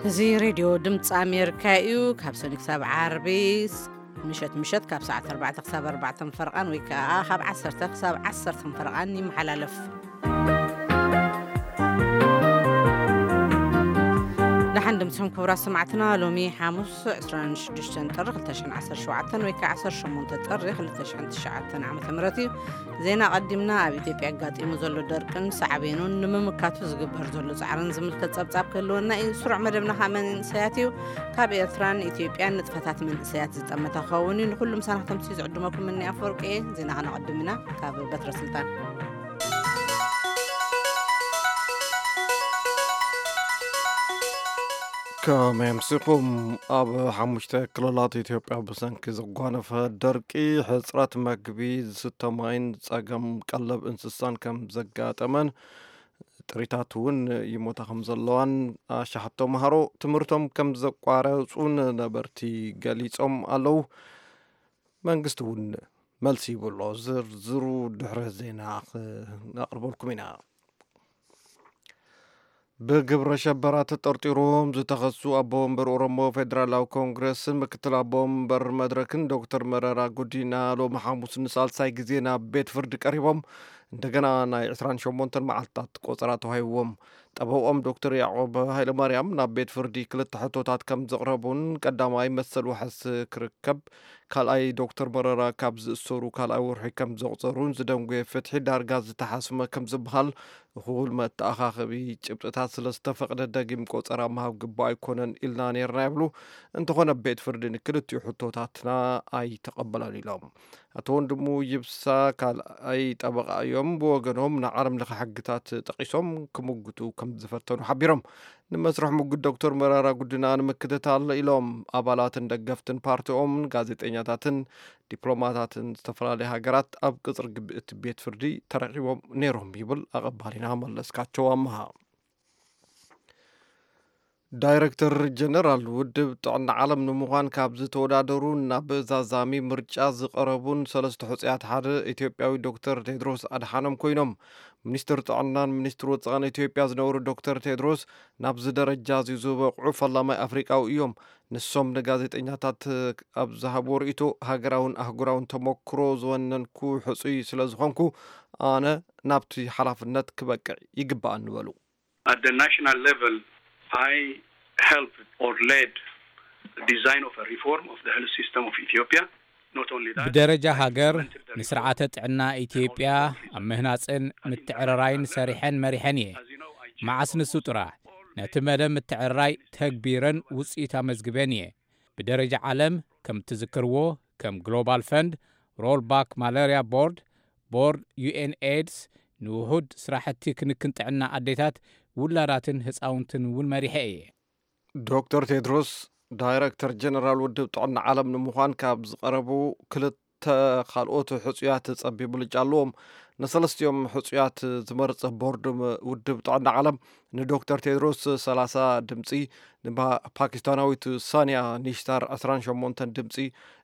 እዚ ሬድዮ ድምፂ ኣሜሪካ እዩ። ካብ ሰኒ ክሳብ ዓርቢ ስ-፣ ምሸት ምሸት ካብ ሰዓት ኣርባዕተ ክሳብ ኣርባዕተ ፈርቓን ወይ ከዓ ካብ ዓሰርተ ክሳብ ዓሰርተ ፈርቓን ይመሓላለፍ። ደሓን ድምፅኹም ክቡራት ሰማዕትና፣ ሎሚ ሓሙስ ዕስራን ሽዱሽተን ጥሪ ክልተ ሽሕን ዓሰርተ ሸውዓተን ወይ ከዓ ዓሰርተ ሸሞንተ ጥሪ ክልተ ሽሕን ትሽዓተን ዓመተ ምህረት እዩ። ዜና ቀዲምና ኣብ ኢትዮጵያ ኣጋጢሙ ዘሎ ደርቅን ሳዕቤኑን ንምምካቱ ዝግበር ዘሎ ጻዕርን ዝምልከት ጸብጻብ ክህልወና እዩ። ስሩዕ መደብና ከኣ መንእሰያት እዩ። ካብ ኤርትራን ኢትዮጵያን ንጥፈታት መንእሰያት ዝጠመተ ክኸውን እዩ። ንኹሉም ሳናኽተምሲ ዝዕድመኩም እኒ ኣፈወርቂ እየ። ዜና ከነቐድም ኢና። ካብ በትረ ስልጣን። ከመይ ኣምሲኹም? ኣብ ሓሙሽተ ክልላት ኢትዮጵያ ብሰንኪ ዝጓነፈ ደርቂ፣ ሕጽረት መግቢ፣ ዝስተ ማይን ጸገም ቀለብ እንስሳን ከም ዘጋጠመን፣ ጥሪታት እውን ይሞታ ከም ዘለዋን ኣሽሓት ተምሃሮ ትምህርቶም ከም ዘቋረጹን ነበርቲ ገሊጾም ኣለዉ። መንግስቲ እውን መልሲ ይብሎ። ዝርዝሩ ድሕረ ዜና ክነቕርበልኩም ኢና። ብግብረ ሸበራ ተጠርጢሮም ዝተኸሱ ኣቦ ወንበር ኦሮሞ ፌደራላዊ ኮንግረስን ምክትል ኣቦ ወንበር መድረክን ዶክተር መረራ ጉዲና ሎሚ ሓሙስ ንሳልሳይ ግዜ ናብ ቤት ፍርዲ ቀሪቦም፣ እንደገና ናይ ዕስራን ሸሞንተን መዓልትታት ቆጸራ ተዋሂብዎም። ጠበቆም ዶክተር ያዕቆብ ሃይለማርያም ናብ ቤት ፍርዲ ክልተ ሕቶታት ከም ዘቕረቡን ቀዳማይ መሰል ዋሕስ ክርከብ፣ ካልኣይ ዶክተር መረራ ካብ ዝእሰሩ ካልኣይ ወርሒ ከም ዘቑጸሩን ዝደንጎየ ፍትሒ ዳርጋ ዝተሓስመ ከም ዝበሃል እኹል መተኣኻኸቢ ጭብጥታት ስለ ዝተፈቕደ ደጊም ቆጸራ ምሃብ ግቡእ ኣይኮነን ኢልና ነይርና ይብሉ። እንተኾነ ቤት ፍርዲ ንክልቲኡ ሕቶታትና ኣይተቐበለን ኢሎም። ኣቶ ወንድሙ ይብሳ ካልኣይ ጠበቓ እዮም። ብወገኖም ንዓለም ለኸ ሕግታት ጠቒሶም ክምጉቱ ከም ዝፈተኑ ሓቢሮም። ንመስርሕ ምጉት ዶክተር መረራ ጉዲና ንምክትታል ኢሎም ኣባላትን ደገፍትን ፓርቲኦምን ጋዜጠኛታትን ዲፕሎማታትን ዝተፈላለዩ ሃገራት ኣብ ቅጽሪ ግቢ እቲ ቤት ፍርዲ ተረኺቦም ነይሮም ይብል ኣቐባሊና መለስካቸው ኣመሃ። ዳይረክተር ጀነራል ውድብ ጥዕና ዓለም ንምዃን ካብ ዝተወዳደሩ ናብ ዛዛሚ ምርጫ ዝቐረቡን ሰለስተ ሕጹያት ሓደ ኢትዮጵያዊ ዶክተር ቴድሮስ ኣድሓኖም ኮይኖም። ሚኒስትር ጥዕናን ሚኒስትር ወጻእን ኢትዮጵያ ዝነበሩ ዶክተር ቴድሮስ ናብዚ ደረጃ እዚ ዝበቕዑ ፈላማይ ኣፍሪቃዊ እዮም። ንሶም ንጋዜጠኛታት ኣብ ዝሃብዎ ርእይቶ፣ ሃገራውን ኣህጉራውን ተመክሮ ዝወነንኩ ሕጹይ ስለ ዝኾንኩ፣ ኣነ ናብቲ ሓላፍነት ክበቅዕ ይግባኣኒ በሉ። At the national level, I helped or led the design of a reform of the health system of Ethiopia. Not only that, ብደረጃ I ሃገር implemented the ንስርዓተ reform ጥዕና ኢትዮጵያ ኣብ ምህናጽን ምትዕርራይን ሰሪሐን መሪሐን እየ። As you know, I chair መዓስ ንሱ ጥራሕ ነቲ መደብ ምትዕርራይ ተግቢረን ውጽኢት ኣመዝግበን እየ። ብደረጃ ዓለም ከም እትዝክርዎ፣ ከም ግሎባል ፈንድ፣ ሮል ባክ ማለርያ ቦርድ፣ ቦርድ ዩ ኤን ኤድስ፣ ንውሑድ ስራሕቲ ክንክን ጥዕና ኣዴታት፣ ውላዳትን ህፃውንትን እውን መሪሐ እየ። ዶክተር ቴድሮስ ዳይረክተር ጀነራል ውድብ ጥዕና ዓለም ንምዃን ካብ ዝቐረቡ ክልተ ካልኦት ሕጹያት ጸቢብ ብልጫ ኣለዎም። ንሰለስቲኦም ሕጹያት ዝመርጸ ቦርድ ውድብ ጥዕና ዓለም ንዶክተር ቴድሮስ ሰላሳ ድምጺ፣ ንፓኪስታናዊት ሳንያ ኒሽታር ዕስራን ሸሞንተን ድምጺ፣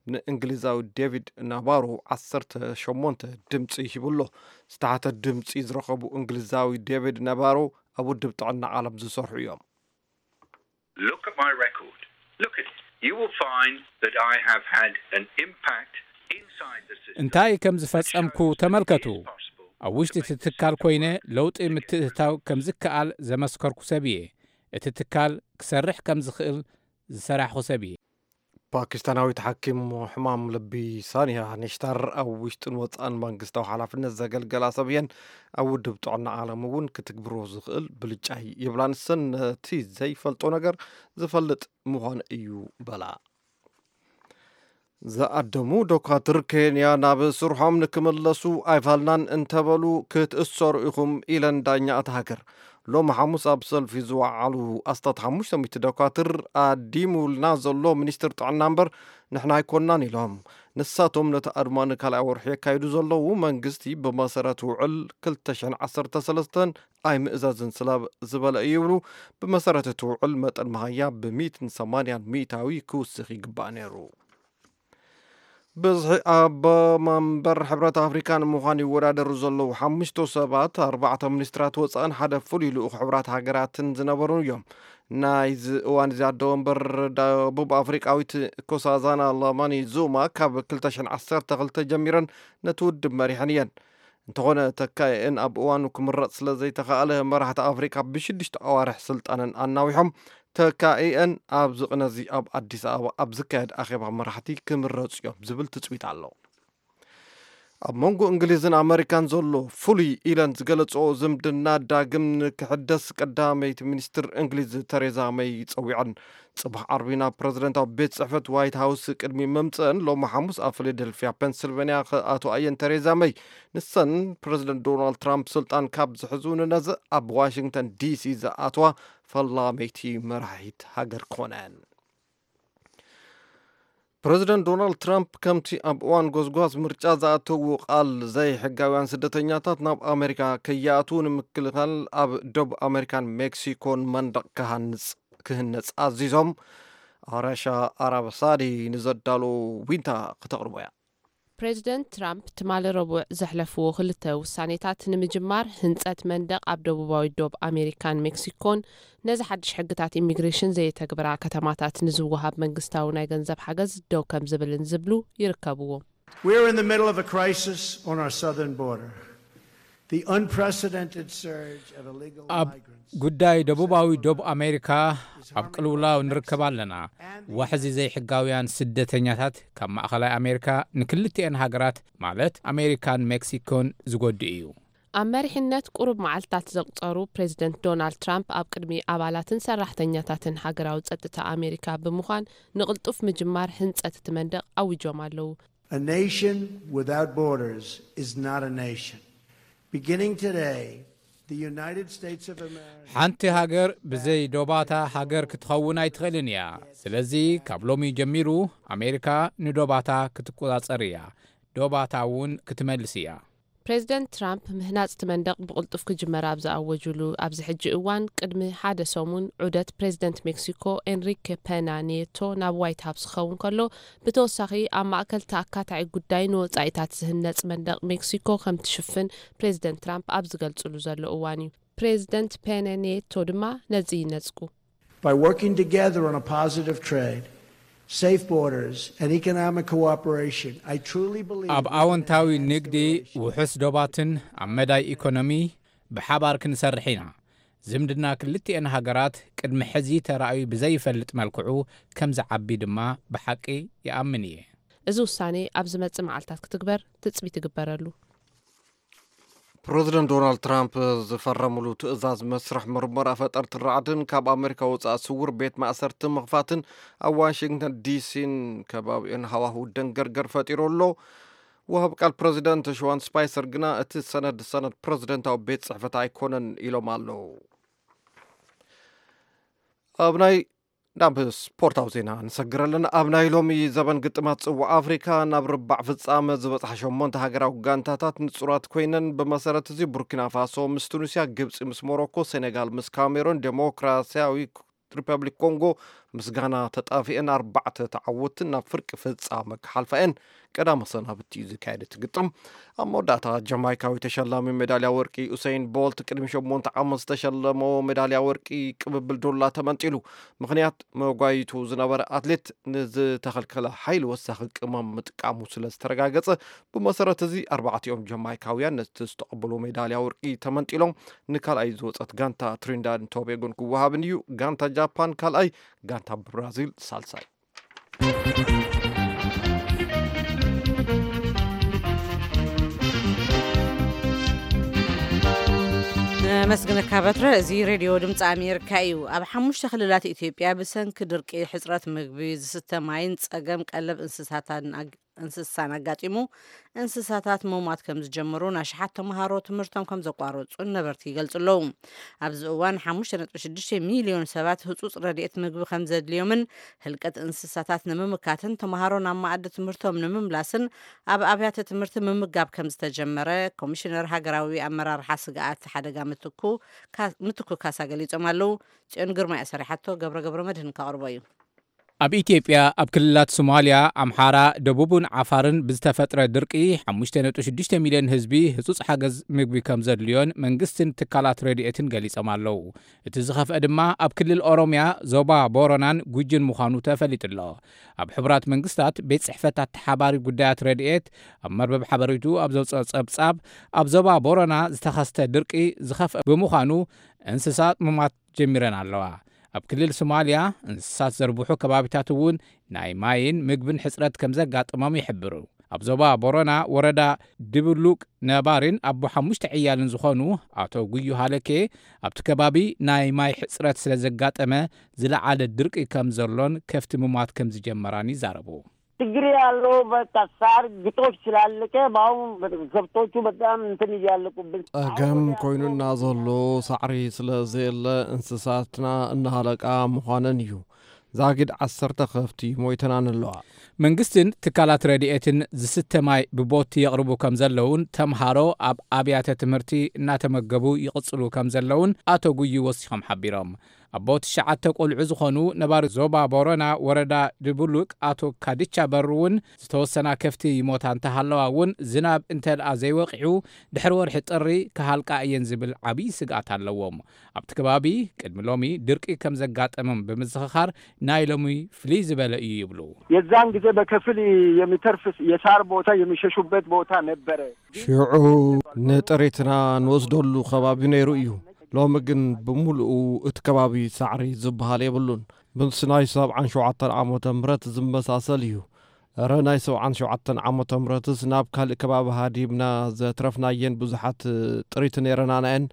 ንእንግሊዛዊ ዴቪድ ናባሮ ዓሰርተ ሸሞንተ ድምጺ ሂቡ ኣሎ። ዝተሓተ ድምጺ ዝረኸቡ እንግሊዛዊ ዴቪድ ናባሮ ኣብ ውድብ ጥዕና ዓለም ዝሰርሑ እዮም። Look at my record. Look at it. You will find that I have had an impact inside the system. እንታይ ከም ዝፈጸምኩ ተመልከቱ። ኣብ ውሽጢ እቲ ትካል ኮይነ ለውጢ ምትእትታው ከም ዝከኣል ዘመስከርኩ ሰብ እየ። እቲ ትካል ክሰርሕ ከም ዝኽእል ዝሰራሕኹ ሰብ እየ። ፓኪስታናዊት ሓኪም ሕማም ልቢ ሳንያ ኒሽታር ኣብ ውሽጥን ወጻእን መንግስታዊ ሓላፍነት ዘገልገላ ሰብ እየን። ኣብ ውድብ ጥዕና ዓለም እውን ክትግብሮ ዝኽእል ብልጫ ይብላ። ንሰን ነቲ ዘይፈልጦ ነገር ዝፈልጥ ምዃን እዩ በላ። ዝኣደሙ ዶካትር ኬንያ ናብ ስርሖም ንክምለሱ ኣይፋልናን እንተበሉ ክትእሰሩ ኢኹም ኢለን ዳኛ እታ ሃገር። ሎሚ ሓሙስ ኣብ ሰልፊ ዝወዓሉ ኣስታት ሓሙሽተ ሚእቲ ዶካትር ኣዲሙልና ዘሎ ሚኒስትር ጥዕና እምበር ንሕና ኣይኮናን ኢሎም። ንሳቶም ነቲ ኣድማ ንካልኣይ ወርሒ የካይዱ ዘለዉ መንግስቲ ብመሰረት ውዕል ክልተ ሽሕን ዓሰርተ ሰለስተን ኣይምእዘዝን ስለ ዝበለ እዩ ይብሉ። ብመሰረት እቲ ውዕል መጠን መሃያ ብሚእትን ሰማንያን ሚእታዊ ክውስኽ ይግባእ ነይሩ። ብዝሒ ኣቦ መንበር ሕብረት ኣፍሪካ ንምዃን ይወዳደሩ ዘለዉ ሓሙሽተ ሰባት ኣርባዕተ ሚኒስትራት ወፃእን ሓደ ፍሉይ ልኡኽ ሕብራት ሃገራትን ዝነበሩ እዮም። ናይዚ እዋን እዚ ኣደ ወንበር ደቡብ ኣፍሪቃዊት ኮሳዛና ላማኒ ዙማ ካብ ክልተ ሽሕን ዓሰርተ ክልተ ጀሚረን ነቲ ውድብ መሪሐን እየን። እንተኾነ ተካኢአን ኣብ እዋኑ ክምረጽ ስለ ዘይተኻእለ፣ መራሕቲ ኣፍሪቃ ብሽዱሽተ ኣዋርሕ ስልጣነን ኣናዊሖም፣ ተካኢአን ኣብዚ ቅነዚ ኣብ ኣዲስ ኣበባ ኣብ ዝካየድ ኣኼባ መራሕቲ ክምረጹ እዮም ዝብል ትጽቢት ኣሎ። ኣብ መንጎ እንግሊዝን ኣመሪካን ዘሎ ፍሉይ ኢለን ዝገለጽኦ ዝምድና ዳግም ንክሕደስ ቀዳመይቲ ሚኒስትር እንግሊዝ ተሬዛ መይ ጸዊዐን። ጽባሕ ዓርቢ ናብ ፕረዚደንታዊ ቤት ጽሕፈት ዋይት ሃውስ ቅድሚ መምጽአን፣ ሎሚ ሓሙስ ኣብ ፊላደልፊያ ፔንስልቨንያ ክኣትዋ እየን። ተሬዛ መይ፣ ንሰን ፕረዚደንት ዶናልድ ትራምፕ ስልጣን ካብ ዝሕዙ ንነዘ ኣብ ዋሽንግተን ዲሲ ዝኣትዋ ፈላመይቲ መራሒት ሃገር ክኾና እየን። ፕረዚደንት ዶናልድ ትራምፕ ከምቲ ኣብ እዋን ጎስጓስ ምርጫ ዝኣተዉ ቃል፣ ዘይሕጋውያን ስደተኛታት ናብ ኣሜሪካ ከይኣትዉ ንምክልኻል ኣብ ደቡብ ኣሜሪካን ሜክሲኮን መንደቕ ክሃንጽ ክህነጽ ኣዚዞም። ኣራሻ ኣራበሳዲ ንዘዳሎ ዊንታ ክተቕርቦ እያ። ፕሬዚደንት ትራምፕ ትማሊ ረቡዕ ዘሕለፍዎ ክልተ ውሳኔታት፣ ንምጅማር ህንጸት መንደቕ ኣብ ደቡባዊ ዶብ ኣሜሪካን ሜክሲኮን፣ ነዚ ሓድሽ ሕግታት ኢሚግሬሽን ዘየተግብራ ከተማታት ንዝወሃብ መንግስታዊ ናይ ገንዘብ ሓገዝ ደው ከም ዝብልን ዝብሉ ይርከብዎም። We're in the middle of a crisis on our southern border. The unprecedented surge of illegal ኣብ migrants. ጉዳይ ደቡባዊ ዶብ ኣሜሪካ ኣብ ቅልውላው ንርከብ ኣለና። ዋሕዚ ዘይሕጋውያን ስደተኛታት ካብ ማእኸላይ ኣሜሪካ ንክልቲኤን ሃገራት፣ ማለት ኣሜሪካን ሜክሲኮን፣ ዝጎድእ እዩ። ኣብ መሪሕነት ቁሩብ መዓልትታት ዘቑጸሩ ፕሬዚደንት ዶናልድ ትራምፕ፣ ኣብ ቅድሚ ኣባላትን ሰራሕተኛታትን ሃገራዊ ጸጥታ ኣሜሪካ ብምዃን፣ ንቕልጡፍ ምጅማር ህንጸት እቲ መንደቕ ኣዊጆም ኣለዉ። A nation without borders is not a nation. Beginning today, the United States of America. ሓንቲ ሃገር ብዘይ ዶባታ ሃገር ክትኸውን ኣይትኽእልን እያ። ስለዚ ካብ ሎሚ ጀሚሩ ኣሜሪካ ንዶባታ ክትቆጻጸር እያ፣ ዶባታ እውን ክትመልስ እያ። ፕሬዚደንት ትራምፕ ምህናጽ እቲ መንደቕ ብቕልጡፍ ክጅመር ኣብ ዝኣወጁሉ ኣብዚ ሕጂ እዋን፣ ቅድሚ ሓደ ሰሙን ዑደት ፕሬዚደንት ሜክሲኮ ኤንሪኬ ፔና ኒየቶ ናብ ዋይት ሃውስ ክኸውን ከሎ፣ ብተወሳኺ ኣብ ማእከል ተኣካታዒ ጉዳይ ንወጻኢታት ዝህነጽ መንደቕ ሜክሲኮ ከም ትሽፍን ፕሬዚደንት ትራምፕ ኣብ ዝገልጽሉ ዘሎ እዋን እዩ። ፕሬዚደንት ፔና ኒየቶ ድማ ነዚ ይነጽጉ። By working together on a positive trade, safe borders, and economic cooperation, I truly believe ኣብ we can ኣወንታዊ enhance the ንግዲ፣ relationship. ውሑስ ዶባትን ኣብ መዳይ ኢኮኖሚ ብሓባር ክንሰርሕ ኢና። ዝምድና ክልቲኤን ሃገራት ቅድሚ ሕዚ ተራእዩ ብዘይፈልጥ መልክዑ ከም ዝዓቢ ድማ ብሓቂ ይኣምን እየ። እዚ ውሳኔ ኣብ ዝመጽእ መዓልታት ክትግበር ትጽቢት ይግበረሉ። ፕረዚደንት ዶናልድ ትራምፕ ዝፈረምሉ ትእዛዝ መስርሕ ምርመራ ፈጠርትን ራዕድን ካብ ኣሜሪካ ወጻኢ ስውር ቤት ማእሰርቲ ምኽፋትን ኣብ ዋሽንግተን ዲሲን ከባቢኡን ሃዋህው ደንገርገር ፈጢሩ ኣሎ። ወሃብ ቃል ፕረዚደንት ሽዋን ስፓይሰር ግና፣ እቲ ሰነድ ሰነድ ፕረዚደንታዊ ቤት ጽሕፈት ኣይኮነን ኢሎም ኣለዉ። ኣብ ናይ ናብ ስፖርታዊ ዜና ንሰግር ኣለና። ኣብ ናይ ሎሚ ዘበን ግጥማት ጽዋዕ ኣፍሪካ፣ ናብ ርባዕ ፍጻመ ዝበጽሓ ሸሞንተ ሃገራዊ ጋንታታት ንጹራት ኮይነን። ብመሰረት እዚ፣ ቡርኪና ፋሶ ምስ ቱኒስያ፣ ግብጺ ምስ ሞሮኮ፣ ሴኔጋል ምስ ካሜሮን፣ ዴሞክራሲያዊ ሪፐብሊክ ኮንጎ ምስ ጋና ተጣፊአን ኣርባዕተ ተዓወትን ናብ ፍርቂ ፍጻመ ክሓልፋ እየን። ቀዳመ ሰናብቲ እዩ ዝካየድ እቲ ግጥም። ኣብ መወዳእታ፣ ጀማይካዊ ተሸላሚ ሜዳልያ ወርቂ ኡሰይን ቦልት፣ ቅድሚ ሸሞንተ ዓመት ዝተሸለሞ ሜዳልያ ወርቂ ቅብብል ዱላ ተመንጢሉ። ምኽንያት፣ መጓይቱ ዝነበረ ኣትሌት ንዝተኸልከለ ሓይሊ ወሳኺ ቅመም ምጥቃሙ ስለ ዝተረጋገጸ፣ ብመሰረት እዚ ኣርባዕቲኦም ጀማይካውያን ነቲ ዝተቐበሉ ሜዳልያ ወርቂ ተመንጢሎም። ንካልኣይ ዝወጸት ጋንታ ትሪንዳድን ቶቤጎን ክወሃብን እዩ። ጋንታ ጃፓን ካልኣይ፣ ጋንታ ብራዚል ሳልሳይ። ነመስግነካ በትረ። እዚ ሬድዮ ድምፂ ኣሜሪካ እዩ። ኣብ ሓሙሽተ ክልላት ኢትዮጵያ ብሰንኪ ድርቂ፣ ሕፅረት ምግቢ፣ ዝስተ ማይን ፀገም ቀለብ እንስሳታን ኣግ- እንስሳን ኣጋጢሙ፣ እንስሳታት ምሟት ከም ዝጀመሩን ኣሽሓት ተምሃሮ ትምህርቶም ከም ዘቋረፁን ነበርቲ ይገልፁ ኣለዉ። ኣብዚ እዋን ሓሙሽተ ነጥቢ ሽዱሽተ ሚልዮን ሰባት ህፁፅ ረድኤት ምግቢ ከም ዘድልዮምን ህልቀት እንስሳታት ንምምካትን ተምሃሮ ናብ መኣዲ ትምህርቶም ንምምላስን ኣብ ኣብያተ ትምህርቲ ምምጋብ ከም ዝተጀመረ ኮሚሽነር ሃገራዊ ኣመራርሓ ስግኣት ሓደጋ ምትኩ ካ- ምትኩ ካሳ ገሊጾም ኣለዉ። ጽዮን ግርማ እያ ሰሪሓቶ፣ ገብረ ገብረ መድህን ከቕርቦ እዩ። ኣብ ኢትዮጵያ ኣብ ክልላት ሶማልያ፣ ኣምሓራ፣ ደቡብን ዓፋርን ብዝተፈጥረ ድርቂ ሓሙሽተ ነጥቢ ሽዱሽተ ሚልዮን ህዝቢ ህጹጽ ሓገዝ ምግቢ ከም ዘድልዮን መንግስትን ትካላት ረድኤትን ገሊጾም ኣለዉ። እቲ ዝኸፍአ ድማ ኣብ ክልል ኦሮምያ፣ ዞባ ቦረናን ጉጅን ምዃኑ ተፈሊጡ ኣሎ። ኣብ ሕቡራት መንግስታት ቤት ጽሕፈት ኣተሓባሪ ጉዳያት ረድኤት ኣብ መርበብ ሓበሬቱ ኣብ ዘውፅኦ ጸብጻብ፣ ኣብ ዞባ ቦረና ዝተኸስተ ድርቂ ዝኸፍአ ብምዃኑ እንስሳት ምማት ጀሚረን ኣለዋ። ኣብ ክልል ሶማልያ እንስሳት ዘርብሑ ከባቢታት እውን ናይ ማይን ምግብን ሕፅረት ከም ዘጋጥሞም ይሕብሩ። ኣብ ዞባ ቦረና ወረዳ ድብሉቅ ነባሪን ኣቦ ሓሙሽተ ዕያልን ዝኾኑ ኣቶ ጉዩ ሃለኬ፣ ኣብቲ ከባቢ ናይ ማይ ሕፅረት ስለ ዘጋጠመ ዝለዓለ ድርቂ ከም ዘሎን ከፍቲ ምሟት ከም ዝጀመራን ይዛረቡ። ችግር ያለው በቃ ሳር ግጦሽ ስላለቀ በአሁን ከብቶቹ በጣም እንትን እያለቁብን። ጸገም ኮይኑና ዘሎ ሳዕሪ ስለ ዘየለ እንስሳትና እናሃለቃ ምዃነን እዩ። ዛጊድ ዓሰርተ ከፍቲ ሞይተናን ኣለዋ። መንግስትን ትካላት ረድኤትን ዝስተ ማይ ብቦቲ የቕርቡ ከም ዘለውን ተምሃሮ ኣብ ኣብያተ ትምህርቲ እናተመገቡ ይቕጽሉ ከም ዘለውን ኣቶ ጉዩ ወሲኾም ሓቢሮም። ኣቦ ትሽዓተ ቆልዑ ዝኾኑ ነባሪ ዞባ ቦረና ወረዳ ድቡሉቅ ኣቶ ካድቻ በሩ እውን ዝተወሰና ከፍቲ ይሞታ እንተሃለዋ እውን ዝናብ እንተደኣ ዘይወቂዑ ድሕሪ ወርሒ ጥሪ ክሃልቃ እየን ዝብል ዓብዪ ስግኣት ኣለዎም። ኣብቲ ከባቢ ቅድሚ ሎሚ ድርቂ ከም ዘጋጠሞም ብምዝኽኻር ናይ ሎሚ ፍልይ ዝበለ እዩ ይብሉ። የዛን ጊዜ በከፊል የሚተርፍ የሳር ቦታ የሚሸሹበት ቦታ ነበረ። ሽዑ ንጥሪትና ንወስደሉ ከባቢ ነይሩ እዩ። ሎሚ ግን ብምሉኡ እቲ ከባቢ ሳዕሪ ዝበሃል የብሉን። ምስ ናይ ሰብዓን ሸውዓተን ዓመተ ምህረት ዝመሳሰል እዩ። እረ ናይ ሰብዓን ሸውዓተን ዓመተ ምህረትስ ናብ ካልእ ከባቢ ሃዲምና ዘትረፍናየን ብዙሓት ጥሪት ነይረናናየን።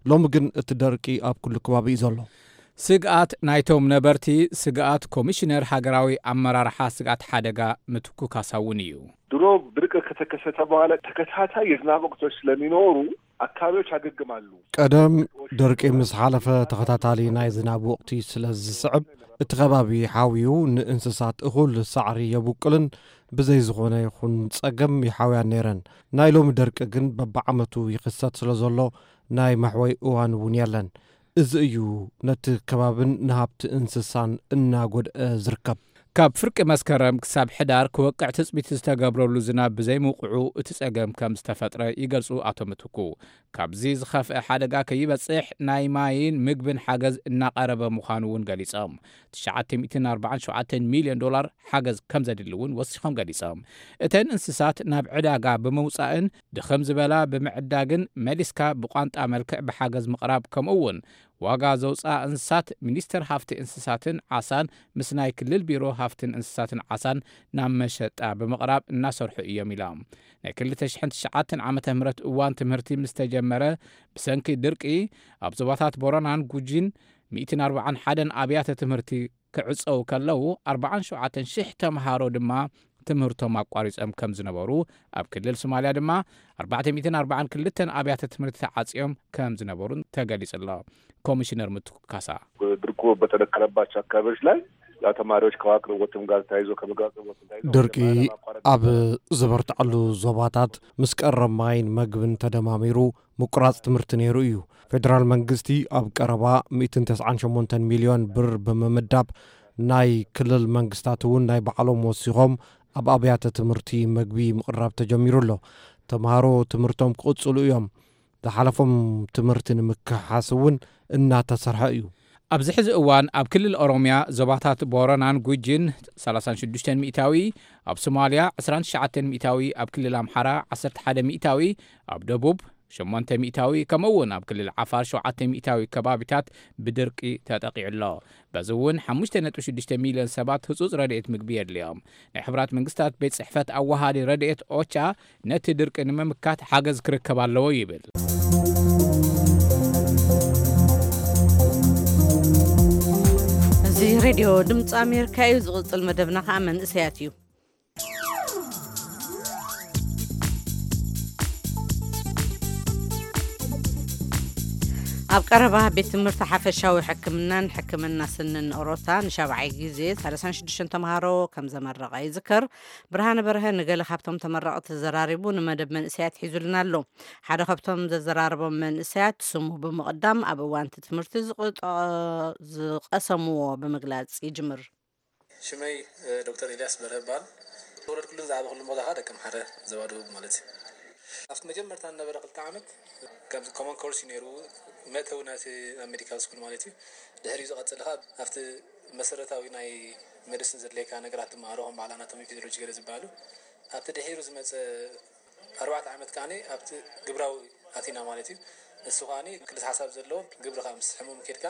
ሎሚ ግን እቲ ደርቂ ኣብ ኩሉ ከባቢ እዩ ዘሎ። ስግኣት ናይቶም ነበርቲ ስግኣት ኮሚሽነር ሃገራዊ ኣመራርሓ ስግኣት ሓደጋ ምትኩ ካሳ እውን እዩ። ድሮ ድርቅ ከተከሰተ በኋላ ተከታታይ የዝናብ ወቅቶች ስለሚኖሩ አካባቢዎች ያገግማሉ። ቀደም ደርቂ ምስ ሓለፈ ተኸታታሊ ናይ ዝናብ ወቕቲ ስለ ዝስዕብ፣ እቲ ከባቢ ሓውዩ ንእንስሳት እኹል ሳዕሪ የብቁልን ብዘይ ዝኾነ ይኹን ጸገም ይሓውያን ነይረን። ናይ ሎሚ ደርቂ ግን በብዓመቱ ይኽሰት ስለ ዘሎ ናይ መሕወይ እዋን እውን የለን። እዚ እዩ ነቲ ከባብን ንሃብቲ እንስሳን እናጎድአ ዝርከብ። ካብ ፍርቂ መስከረም ክሳብ ሕዳር ክወቅዕ ትጽቢት ዝተገብረሉ ዝናብ ብዘይምውቅዑ እቲ ጸገም ከም ዝተፈጥረ ይገልጹ ኣቶ ምትኩ። ካብዚ ዝኸፍአ ሓደጋ ከይበጽሕ ናይ ማይን ምግብን ሓገዝ እናቐረበ ምዃኑ እውን ገሊጾም። ትሽዓተ ሚእትን ኣርባዓን ሸውዓተን ሚልዮን ዶላር ሓገዝ ከም ዘድሊ እውን ወሲኾም ገሊጾም። እተን እንስሳት ናብ ዕዳጋ ብምውጻእን ድኽም ዝበላ ብምዕዳግን መሊስካ ብቋንጣ መልክዕ ብሓገዝ ምቕራብ ከምኡ እውን ዋጋ ዘውፅኣ እንስሳት ሚኒስቴር ሃፍቲ እንስሳትን ዓሳን ምስ ናይ ክልል ቢሮ ሃፍትን እንስሳትን ዓሳን ናብ መሸጣ ብምቕራብ እናሰርሑ እዮም ኢሎም። ናይ ክልተ ሽሕን ትሽዓተን ዓመተ ምህረት እዋን ትምህርቲ ምስ ተጀመረ ብሰንኪ ድርቂ ኣብ ዞባታት ቦረናን ጉጂን ሚእትን ኣርባዓን ሓደን ኣብያተ ትምህርቲ ክዕፀው ከለዉ ኣርባዓን ሸውዓተን ሽሕ ተምሃሮ ድማ ትምህርቶም ኣቋሪጾም ከም ዝነበሩ ኣብ ክልል ሶማሊያ ድማ ኣርባዕተ ሚእትን ኣርባዓን ክልተን ኣብያተ ትምህርቲ ተዓጽዮም ከም ዝነበሩን ተገሊጹ ኣሎ። ኮሚሽነር ምትኩ ካሳ ድርቁ በተነከረባቸው አካባቢዎች ላይ ያው ተማሪዎች ከውሃ አቅርቦትም ጋር ተያይዞ ከምግብ አቅርቦትም ተያይዞ ድርቂ ኣብ ዝበርትዐሉ ዞባታት ምስ ቀረብ ማይን መግብን ተደማሚሩ ምቁራጽ ትምህርቲ ነይሩ እዩ። ፌደራል መንግስቲ ኣብ ቀረባ ሚእትን ተስዓን ሸሞንተን ሚልዮን ብር ብምምዳብ ናይ ክልል መንግስታት እውን ናይ ባዕሎም ወሲኾም ኣብ ኣብያተ ትምህርቲ መግቢ ምቕራብ ተጀሚሩ ኣሎ። ተምሃሮ ትምህርቶም ክቕጽሉ እዮም። ዝሓለፎም ትምህርቲ ንምክሓስ እውን እናተሰርሐ እዩ። ኣብዚ ሕዚ እዋን ኣብ ክልል ኦሮምያ ዞባታት ቦረናን ጉጂን ሰላሳን ሽዱሽተን ሚእታዊ፣ ኣብ ሶማልያ ዕስራን ትሽዓተን ሚእታዊ፣ ኣብ ክልል ኣምሓራ ዓሰርተ ሓደ ሚእታዊ፣ ኣብ ደቡብ ሸሞንተ ሚእታዊ፣ ከምኡ እውን ኣብ ክልል ዓፋር ሸውዓተ ሚእታዊ ከባቢታት ብድርቂ ተጠቂዑ ኣሎ። በዚ እውን ሓሙሽተ ነጥቢ ሽዱሽተ ሚልዮን ሰባት ህጹጽ ረድኤት ምግቢ የድልዮም። ናይ ሕቡራት መንግስታት ቤት ጽሕፈት ኣወሃዲ ረድኤት ኦቻ ነቲ ድርቂ ንምምካት ሓገዝ ክርከብ ኣለዎ ይብል። እዚ ሬድዮ ድምፂ ኣሜሪካ እዩ። ዝቕጽል መደብና ከዓ መንእሰያት እዩ። ኣብ ቀረባ ቤት ትምህርቲ ሓፈሻዊ ሕክምናን ሕክምና ስንን ኦሮታ ንሻብዓይ ግዜ ሰላሳን ሽዱሽተን ተምሃሮ ከም ዘመረቐ ይዝከር። ብርሃነ በርሀ ንገለ ካብቶም ተመረቕቲ ዘራሪቡ ንመደብ መንእሰያት ሒዙልና ኣሎ። ሓደ ካብቶም ዘዘራረቦም መንእሰያት ስሙ ብምቕዳም ኣብ እዋንቲ ትምህርቲ ዝቕጠ-፣ ዝቐሰምዎ ብምግላጽ ይጅምር። ሽመይ ዶክተር ኤልያስ በርሀ ይበሃል። ተወለድኩሉን ዝዓበኹሉን ቦታ ከዓ ደቀምሓረ፣ ዞባ ደቡብ ማለት እዩ። ኣብቲ መጀመርታ ዝነበረ ክልተ ዓመት ከምዚ ኮመን ኮርስ እዩ ነይሩ። መእተዊ ናቲ ኣብ ሜዲካል ስኩል ማለት እዩ። ድሕሪኡ ዝቐፅል ከዓ ኣብቲ መሰረታዊ ናይ ሜዲሲን ዘድልየካ ነገራት ትመሃሮ፣ ከም በዓል ኣናቶሚ፣ ፊዚዮሎጂ ገለ ዝበሃሉ። ኣብቲ ድሒሩ ዝመፀ ኣርባዕተ ዓመት ከዓ ኣብቲ ግብራዊ ኣቲና ማለት እዩ። እሱ ከዓ ክልተ ሓሳብ ዘለዎ፣ ግብርኻ ምስ ሕሙም ኬድካ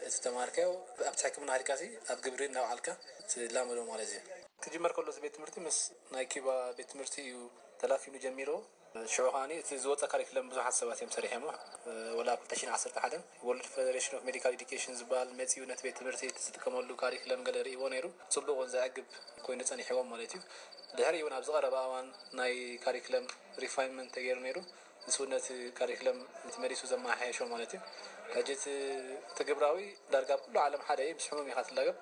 እቲ ተማሃርካዮ ኣብቲ ሕክምና ኬድካ ኣብ ግብሪ እናውዓልካ ትላመዶ ማለት እዩ። ክጅመር ከሎ እዚ ቤት ትምህርቲ ምስ ናይ ኪባ ቤት ትምህርቲ እዩ ተላፊኑ ጀሚሮ። ሽዑ ከዓ እቲ ዝወፀ ካሪክለም ብዙሓት ሰባት እዮም ሰሪሖሞ። ወላ ክልተ ሽሕን ዓሰርተ ሓደን ወርልድ ፌደሬሽን ኦፍ ሜዲካል ኤዱኬሽን ዝበሃል መፂኡ ነቲ ቤት ትምህርቲ እቲ ዝጥቀመሉ ካሪክለም ገለ ርእይዎ ነይሩ። ፅቡቅ እውን ዘዕግብ ኮይኑ ፀኒሕዎም ማለት እዩ። ድሕሪ እውን ኣብዚ ቀረባ እዋን ናይ ካሪክለም ሪፋይንመንት ተገይሩ ነይሩ። ንሱ ነቲ ካሪክለም እቲ መሊሱ ዘመሓየሾ ማለት እዩ። ሕጂ እቲ እቲ ግብራዊ ዳርጋ ኣብ ኩሉ ዓለም ሓደ እዩ። ምስ ሕሙም ኢኻ ትላገብ።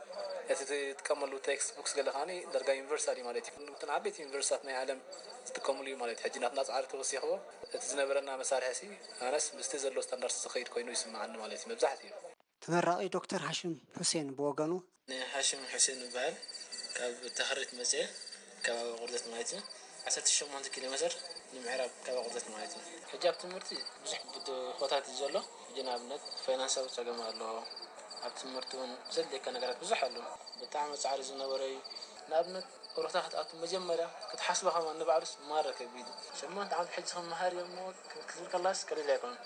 እቲ ትጥቀመሉ ቴክስት ቡክስ ገለ ከዓኒ ዳርጋ ዩኒቨርሳል እዩ ማለት እዩ። እቶም ዓበይቲ ዩኒቨርሲታት ናይ ዓለም ዝጥቀምሉ እዩ ማለት እዩ። ሕጂ ናትና ፃዕሪ ተወሲኽዎ እቲ ዝነበረና መሳርሒ ሲ ኣነስ ምስቲ ዘሎ ስታንዳርድ ዝኸይድ ኮይኑ ይስምዓኒ ማለት እዩ መብዛሕትኡ። ተመራቒ ዶክተር ሃሽም ሑሴን ብወገኑ፣ ሃሽም ሑሴን ይበሃል። ካብ ተኽሪት መፅየ፣ ከባቢ ቁርደት ማለት እዩ። ዓሰርተ ሸሞንተ ኪሎ ሜትር ንምዕራብ ከባቢ ቁርደት ማለት እዩ። ሕጂ ኣብ ትምህርቲ ብዙሕ ብድሆታት እዩ ዘሎ። ሕጂ ንኣብነት ፋይናንሳዊ ፀገም ኣሎ። ኣብ ትምህርቲ እውን ዘድልየካ ነገራት ብዙሕ ኣሎ። ብጣዕሚ ፃዕሪ ዝነበረ እዩ። ንኣብነት ኦሮታ ክትኣቱ መጀመርያ ክትሓስባ ከማን ንባዕሉስ ማራ ከቢድ እዩ። ሸሞንተ ዓመት ሕጂ ክመሃር እየ እሞ ክትብል ከላስ ቀሊል ኣይኮነን።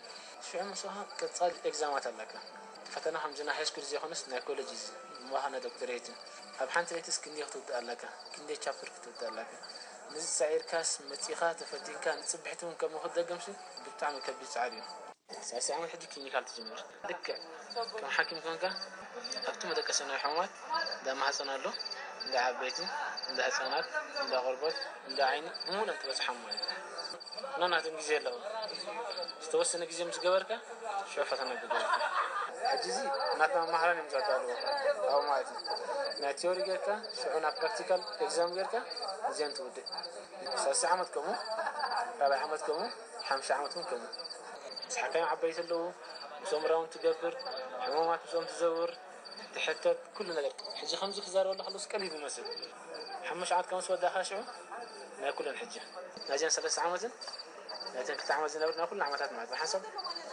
ሽዑ ምስኻ ቀጻሊ ኤግዛማት ኣለካ። እቲ ፈተና ከምዚ ናይ ሃይስኩል ዘይኮነስ ናይ ኮሌጅ እዩ። እሞ ኸኣ ናይ ዶክተሬት እዩ። ኣብ ሓንቲ ለይትስ ክንደይ ክትውድእ ኣለካ? ክንደይ ቻፕተር ክትውድእ ኣለካ? ነዚ ጻዒርካስ መጺኻ ተፈቲንካ ንጽብሕቲ እውን ከምኡ ክትደግምሲ ብጣዕሚ ከቢድ ጻዕሪ እዩ። ሳልሳይ ዓመት ሕጂ ክሊኒካል ትጅምር። ልክዕ ከም ሓኪም ኮንካ ኣብቲ መደቀሲ ናይ ሕሙማት እንዳ ማህጸን ኣሎ፣ እንዳ ዓበይቲ፣ እንዳ ህጻናት፣ እንዳ ቆርበት፣ እንዳ ዓይኒ ብምሉኦም ትበጽሖም ማለት እዩ። እና ናቶም ግዜ ኣለዎ። ዝተወሰነ ግዜ ምስ ገበርካ ሽዑ ፈተና ግበር። ሕጂ እዚ ናትና መማህራን እዮም ዘዳልዎ ኣብኡ ማለት እዩ። ናይ ቲዮሪ ጌርካ ሽዑ ናብ ፕራክቲካል ኤግዛም ጌርካ እዚአን ትውድእ። ሳልሳይ ዓመት ከምኡ፣ ራብዓይ ዓመት ከምኡ፣ ሓምሻይ ዓመት እውን ከምኡ። ምስ ሓካይም ዓበይቲ ኣለዉ፣ ምስኦም ራውንድ ትገብር፣ ሕሙማት ምስኦም ትዘውር፣ ትሕተት፣ ኩሉ ነገር። ሕጂ ከምዚ ክዛረበሉ ከለስ ቀሊል ይመስል። ሓሙሽተ ዓመት ከም ዝወዳእካ ሽዑ ናይ ኩለን ሕጂ ናይዘን ሰለስተ ዓመትን ናይተን ክልተ ዓመት ዝነበረ ናይ ኩለን ዓመታት ማለት እዩ። ሓንሳብ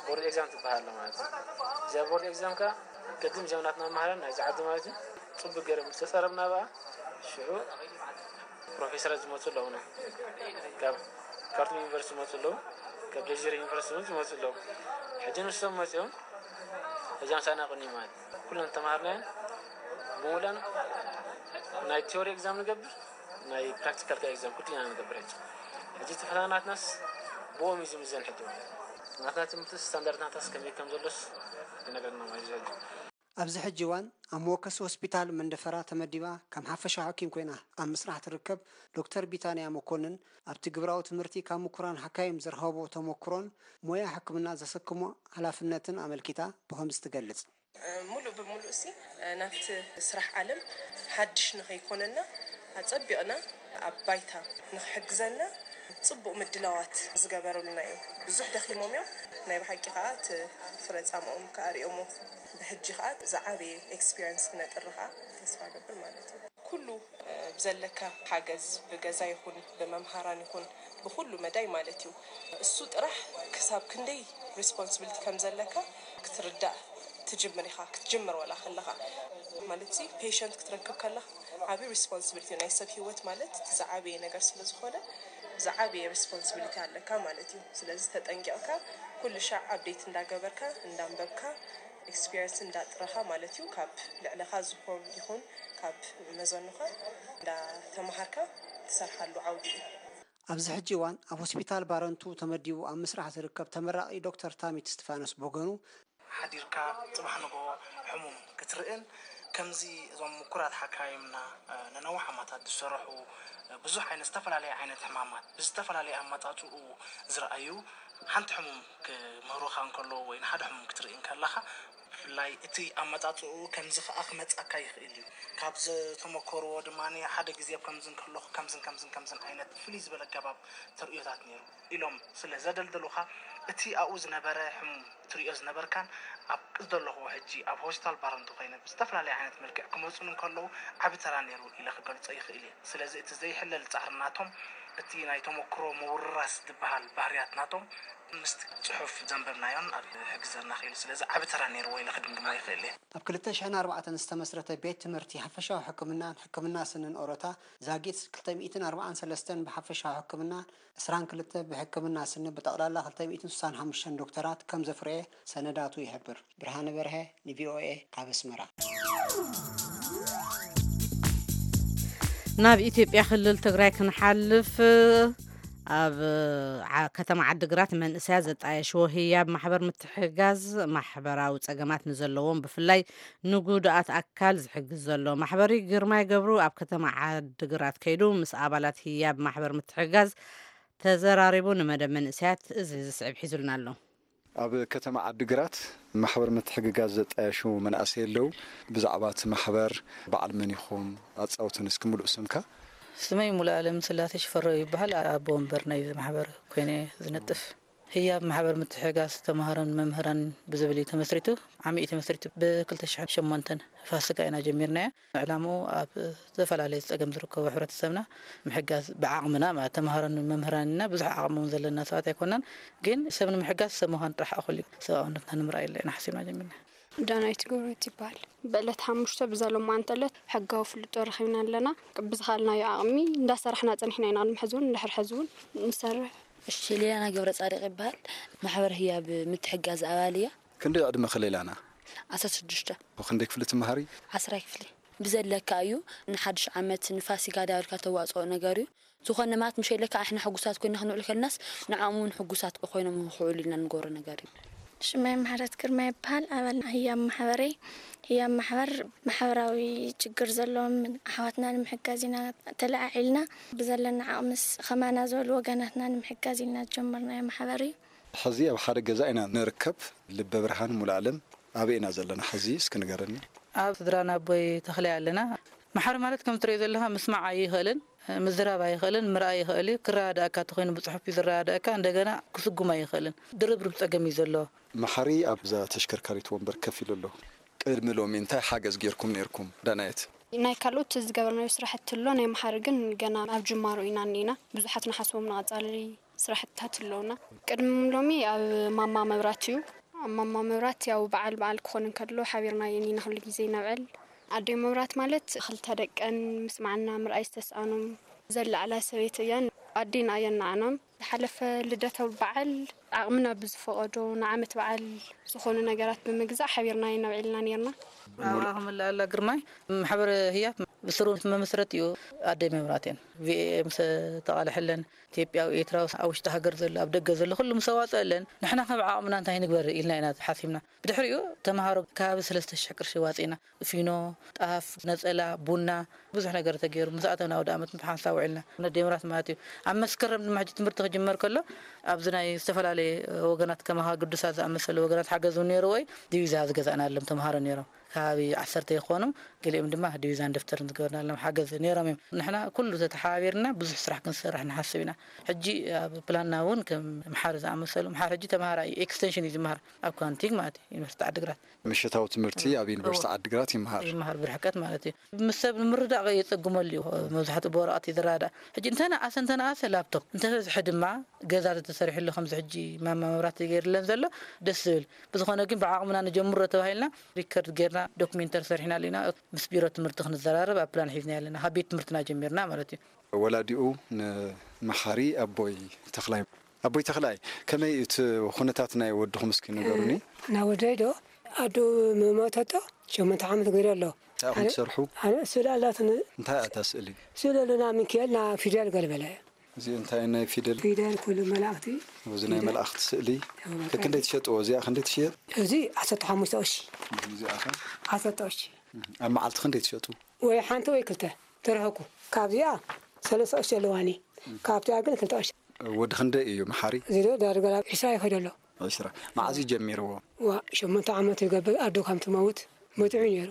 ቦርድ ኤግዛም ትበሃል ኣላ ማለት እዩ። እዚኣ ቦርድ ኤግዛም ከኣ ቅድም እዚኦም ናትና መሃራን ናይዚ ዓዲ ማለት እዩ ጽቡቅ ገይሮም ዝተጸረብና ብኣ ሽዑ ፕሮፌሰራት ዝመጹ ኣለዉና። ካብ ካርቱም ዩኒቨርሲቲ ዝመጹ ኣለዉ፣ ካብ ጀዚራ ዩኒቨርሲቲ እውን ዝመጹ ኣለዉ። ሕጂ ንሶም መጺኦም ሕጂ ምሳና ቅኒ ማለት ኩለን ተማሃርናየን ብምሉኣን ናይ ቲዮሪ ኤግዛም ንገብር፣ ናይ ፕራክቲካል ከ ኤግዛም ኩሉ ኢና ንገብር። ሕጂ ሕጂ እቲ ፈተና ናትናስ ብኦም እዩ ዝምዘን። ሕጂ ማለት ናትና ትምህርቲ ስታንዳርድ ናትናስ ከመይ ከም ዘሎስ ይነግረና ማለት እዩ። ሕጂ ኣብዚ ሕጂ እዋን ኣብ መወከሲ ሆስፒታል መንደፈራ ተመዲባ ከም ሓፈሻዊ ሓኪም ኮይና ኣብ ምስራሕ ትርከብ ዶክተር ቢታንያ መኮንን፣ ኣብቲ ግብራዊ ትምህርቲ ካብ ምኩራን ሓካይም ዝረኸቦ ተመኩሮን ሞያ ሕክምና ዘሰክሞ ሓላፍነትን ኣመልኪታ ብኸምዚ ትገልጽ። ሙሉእ ብሙሉእ ሲ ናብቲ ስራሕ ዓለም ሓድሽ ንኸይኮነና ኣጸቢቕና ኣብ ባይታ ንኽሕግዘና ጽቡቕ ምድላዋት ዝገበሩልና እዩ። ብዙሕ ደኺሞም እዮም። ናይ ብሓቂ ከኣ እቲ ፍረ ጻምኦም ከኣ ሪኦሞ ብሕጂ ከኣ ዝዓበየ ኤክስፒሪየንስ ክነጥሪ ከኣ ተስፋ እገብር ማለት እዩ። ኩሉ ብዘለካ ሓገዝ ብገዛ ይኹን ብመምሃራን ይኹን ብኹሉ መዳይ ማለት እዩ። እሱ ጥራሕ ክሳብ ክንደይ ሪስፖንስብሊቲ ከም ዘለካ ክትርዳእ ትጅምር ኢኻ። ክትጅምር ወላ ከለኻ ማለት ሲ ፔሸንት ክትረክብ ከለኻ ዓቢ ሪስፖንስብሊቲ እዩ። ናይ ሰብ ህይወት ማለት እቲ ዝዓበየ ነገር ስለ ዝኾነ ዝዓበየ ሪስፖንስብሊቲ ኣለካ ማለት እዩ። ስለዚ ተጠንቂቕካ ኩሉ ሻዕ ኣፕዴት እንዳገበርካ እንዳንበብካ ኤክስፒሪየንስ እንዳጥረኻ ማለት እዩ። ካብ ልዕለኻ ዝኾን ይኹን ካብ መዘኑኻ እንዳተምሃርካ ትሰርሓሉ ዓውዲ እዩ። ኣብዚ ሕጂ እዋን ኣብ ሆስፒታል ባረንቱ ተመዲቡ ኣብ ምስራሕ ዝርከብ ተመራቒ ዶክተር ታሚት እስቲፋኖስ ብወገኑ፣ ሓዲርካ ጽባሕ ንግሆ ሕሙም ክትርእን ከምዚ እዞም ምኩራት ሓካይምና ነነዊሕ ዓመታት ዝሰርሑ ብዙሕ ዓይነት ዝተፈላለየ ዓይነት ሕማማት ብዝተፈላለየ ኣመጻጽኡ ዝረኣዩ ሓንቲ ሕሙም ክምህሩኻ እንከለዉ ወይ ንሓደ ሕሙም ክትርኢ እንከለኻ ብፍላይ እቲ ኣመጻጽኡ ከምዚ ከኣ ክመጻካ ይኽእል እዩ። ካብ ዝተመኮርዎ ድማ ሓደ ግዜ ኣብ ከምዚ እንከለኹ ከምዝን ከምዝን ከምዝን ዓይነት ፍልይ ዝበለ ኣገባብ ተርእዮታት ነይሩ ኢሎም ስለ ዘደልደሉኻ እቲ ኣብኡ ዝነበረ ሕሙም ትሪኦ ዝነበርካን ኣብ ዘለኹዎ ሕጂ ኣብ ሆስፒታል ባረንቱ ኮይነ ብዝተፈላለየ ዓይነት መልክዕ ክመፁን እንከለዉ ዓቢ ተራ ነይሩ ኢለ ክገልፆ ይኽእል እየ። ስለዚ እቲ ዘይሕለል ፃዕሪ ናቶም እቲ ናይ ተመክሮ ምውርራስ ዝበሃል ባህርያት ናቶም ምስቲ ፅሑፍ ዘንበብናዮን ኣብ ሕግዘና ክኢሉ። ስለዚ ዓቢ ተራ ነይርዎ ኢለ ክድምድሞ ይኽእል እየ። ኣብ ክልተ ሽሕን ኣርባዕተን ዝተመስረተ ቤት ትምህርቲ ሓፈሻዊ ሕክምናን ሕክምና ስንን ኦሮታ ዛጊት ክልተ ሚእትን ኣርባዓን ሰለስተን ብሓፈሻዊ ሕክምና ዕስራን ክልተ ብሕክምና ስኒ ብጠቕላላ ክልተ ሚእትን ስሳን ሓሙሽተን ዶክተራት ከም ዘፍረየ ሰነዳቱ ይሕብር። ብርሃነ በርሀ ንቪኦኤ ካብ ኣስመራ። ናብ ኢትዮጵያ ክልል ትግራይ ክንሓልፍ ኣብ ዓ- ከተማ ዓድግራት መንእሰያት ዘጣየሽዎ ህያብ ማሕበር ምትሕጋዝ ማሕበራዊ ጸገማት ንዘለዎም ብፍላይ ንጉዱኣት ኣካል ዝሕግዝ ዘሎ ማሕበሪ ግርማይ ገብሩ ኣብ ከተማ ዓድግራት ከይዱ ምስ ኣባላት ህያብ ማሕበር ምትሕጋዝ ተዘራሪቡ ንመደብ መንእሰያት እዚ ዝስዕብ ሒዙልና ኣሎ። ኣብ ከተማ ዓድግራት ማሕበር ምትሕግጋዝ ዘጣየሹ መናእሰይ ኣለዉ። ብዛዕባ እቲ ማሕበር በዓል መን ኢኹም? ኣጻውቱን እስኪ ምሉእ ስምካ። ስመይ ሙሉ ኣለም ስላሴ ሽፈራው ይበሃል። ኣቦ ወንበር ናይዚ ማሕበር ኮይነ ዝነጥፍ። ህያብ ማሕበር ምትሕጋዝ ተምሃሮን መምህራን ብዝብል እዩ ተመስሪቱ። ዓሚ እዩ ተመስሪቱ ብ2008 ፋሲካ ኢና ጀሚርናዮ። ዕላምኡ ኣብ ዝተፈላለዩ ጸገም ዝርከቡ ሕብረተሰብና ምሕጋዝ ብዓቕምና ማለት ተምሃሮን መምህራንና ብዙሕ ዓቕሚ እውን ዘለና ሰባት ኣይኮናን። ግን ሰብ ንምሕጋዝ ሰብ ምዃን ጥራሕ እኹል እዩ። ሰብኣውነትና ንምርኣይ ኢልና ሓሲብና ጀሚርና። ዳናይት ገብረህይወት ይበሃል። ብዕለት ሓሙሽተ ብዛ ሎማዓንቲ ዕለት ሕጋዊ ፍልጦ ረኺብና ኣለና። ብዝኸኣልናዮ ዓቕሚ እንዳሰራሕና ጸኒሕና ኢና። ቅድሚ ሕዚ እውን እንድሕር ሕዚ እውን ንሰርሕ። እሺ፣ ሌላና ገብረ ጻድቕ ይበሃል። ማሕበር ህያብ ምትሕጋዝ ኣባል እያ። ክንደይ ዕድመኺ ሌላና? ዓሰርተ ሽዱሽተ። ክንደይ ክፍሊ ትመሃሪ? ዓስራይ ክፍሊ። ብዘለካ እዩ። ንሓድሽ ዓመት ንፋሲካ ዳርካ ተዋፅኦ ነገር እዩ። ዝኾነ ማለት ምሸለካ ኣሕና ሕጉሳት ኮይና ክንውዕል ከልናስ ንዓኦም እውን ሕጉሳት ኮይኖም ክውዕሉ ኢልና ንገብሮ ነገር እዩ። ሽመይ ማሕረት ግርማ ይበሃል። ኣባል ህያብ ማሕበረይ። ህያብ ማሕበር ማሕበራዊ ችግር ዘለዎም ኣሕዋትና ንምሕጋዝ ኢና ተለዓዒልና። ብዘለና ዓቕምስ ኸማና ዝበሉ ወገናትና ንምሕጋዝ ኢልና ዝጀመርናዮ ማሕበር እዩ። ሕዚ ኣብ ሓደ ገዛ ኢና ንርከብ። ልበ ብርሃን ሙሉኣለም ኣበይ ኢና ዘለና ሕዚ እስኪ ንገረኒ። ኣብ ስድራና ኣቦይ ተኽላይ ኣለና። ማሕበር ማለት ከም ትሪኦ ዘለኻ ምስማዕ ኣይኽእልን፣ ምዝራብ ኣይኽእልን፣ ምርኣይ ይኽእል እዩ። ክረዳዳእካ ተኾይኑ ብፅሑፍ እዩ ዝረዳዳእካ፣ እንደገና ክስጉም ኣይኽእልን። ድርብርብ ፀገም እዩ ዘለዎ። መሓሪ ኣብዛ ተሽከርካሪት ወንበር ከፍ ኢሉ ኣሎ። ቅድሚ ሎሚ እንታይ ሓገዝ ጌርኩም ኔርኩም ዳናየት? ናይ ካልኦት ዝገበርናዮ ስራሕቲ ኣሎ፣ ናይ መሓሪ ግን ገና ኣብ ጅማሮ ኢና እኒና። ብዙሓት ንሓስቦም ንቐፃሊ ስራሕትታት ኣለውና። ቅድሚ ሎሚ ኣብ ማማ መብራት እዩ። ኣብ ማማ መብራት ያው በዓል በዓል ክኾን እንከሎ ሓቢርና ኢና ኩሉ ግዜ ነብዕል። ኣደይ መብራት ማለት ክልተ ደቀን ምስማዕና ምርኣይ ዝተስኣኖም ዘለዓላ ሰበይቲ እያን ኣዴና እየን ንዓናም። ዝሓለፈ ልደት በዓል ዓቕምና ብዝፈቐዶ ንዓመት በዓል ዝኾኑ ነገራት ብምግዛእ ሓቢርና ኢና ነብዕልና ኔርና። ኣብኣ ክምልኣላ ግርማይ ማሕበር ህያብ ብስሩ መመስረት እዩ። ኣደይ መብራት እየን ቪኤ ምስ ተቓልሐለን ኢትዮጵያዊ ኤርትራዊ ኣብ ውሽጢ ሃገር ዘሎ ኣብ ደገ ዘሎ ኩሉ ምስ ኣዋፀአለን ንሕና ከም ዓቕምና እንታይ ንግበር ኢልና ኢና ሓሲብና። ብድሕሪኡ ተምሃሮ ከባቢ ሰለስተ ሽሕ ቅርሺ ዋፂና ፊኖ፣ ጣፍ፣ ነፀላ፣ ቡና ብዙሕ ነገር ተገይሩ ምስ ኣተና ወደ ዓመት ብሓንሳብ ውዒልና ነደይ መብራት ማለት እዩ። ኣብ መስከረም ድማ ሕጂ ትምህርቲ ክጅመር ከሎ ኣብዚ ናይ ዝተፈላለየ ወገናት ከማኻ ግዱሳት ዝኣመሰሉ ወገናት ሓገዝ እውን ነይርዎ እዩ። ዲቪዛ ዝገዛእናሎም ተምሃሮ ነይሮም ከባቢ ዓሰርተ ይኾኑ። ገሊኦም ድማ ዲቪዛን ደፍተርን ዝገበርናሎም ሓገዝ ነይሮም እዮም። ንሕና ኩሉ ተተሓባቢርና ብዙሕ ስራሕ ክንሰርሕ ንሓስብ ኢና። ሕጂ ኣብ ፕላንና እውን ከም መሓሪ ዝኣመሰሉ መሓሪ ሕጂ ተምሃራይ ኤክስቴንሽን እዩ ዝመሃር ኣብ ኳንቲግ ማለት እዩ ዩኒቨርሲቲ ዓድግራት። ምሽታዊ ትምህርቲ ኣብ ዩኒቨርሲቲ ዓድግራት ይመሃር። ይመሃር ብርሕቀት ማለት እዩ። ምስ ሰብ ንምርዳእ የጸግመሉ እዩ። መብዛሕትኡ ብወረቐት እዩ ዝረዳእ። ሕጂ እንተነኣሰ እንተነኣሰ ላፕቶፕ እንተበዝሐ ድማ ገዛ ተተሰሪሕሉ ከምዚ ሕጂ ማማ መብራት ገይርለን ዘሎ ደስ ዝብል። ብዝኾነ ግን ብዓቕምና ንጀምሮ ተባሂልና ሪከርድ ጌርና ዶክሜንተሪ ሰሪሕናሉ ኢና። ምስ ቢሮ ትምህርቲ ክንዘራረብ ኣብ ፕላን ሒዝና ኣለና። ካብ ቤት ትምህርትና ጀሚርና ማለት እዩ። ወላዲኡ ንመሓሪ ኣቦይ ተኽላይ። ኣቦይ ተኽላይ፣ ከመይ እቲ ኩነታት ናይ ወድኹም እስኪ ንገሩኒ? ናይ ወደይ ዶ ኣዱ ምሞተቶ ሸሞንተ ዓመት ገይሩ ኣሎ። እንታይ ኢኹም ኣነ ትሰርሑ? ኣነ ስእሊ ኣላትኒ። እንታይ እያ እታ ስእሊ? ስእሊ ኣለና ሚካኤል ና ፊደል ገልበለ። እዚ እንታይ ናይ ፊደል? ፊደል ኩሉ መላእኽቲ። እዚ ናይ ፊደል። መላእኽቲ ስእሊ። እዎ፣ ክክንደይ ትሸጥዎ? እዚኣ ክንደይ ትሽየጥ? እዚ ዓሰርተ ሓሙሽተ ቅርሺ። እዚኣ ኸ? ዓሰርተ ቅርሺ። ኣብ መዓልቲ ክንደይ ትሸጡ? ወይ ሓንቲ ወይ ክልተ ትርሕቁ። ካብዚኣ ሰለስተ ቅርሺ ኣለዋኒ። ካብቲኣ ግን ክልተ ቅርሺ። ወዲ ክንደይ እዩ መሓሪ? እዚ ዶ ዳርጋ ናብ ዕስራ ይኸይድ ኣሎ። ዕስራ። መዓዝ እዩ ጀሚርዎ? ዋ፣ ሸሞንተ ዓመት ይገብር ኣዶ ከም ትመውት መጺዑ ነይሩ።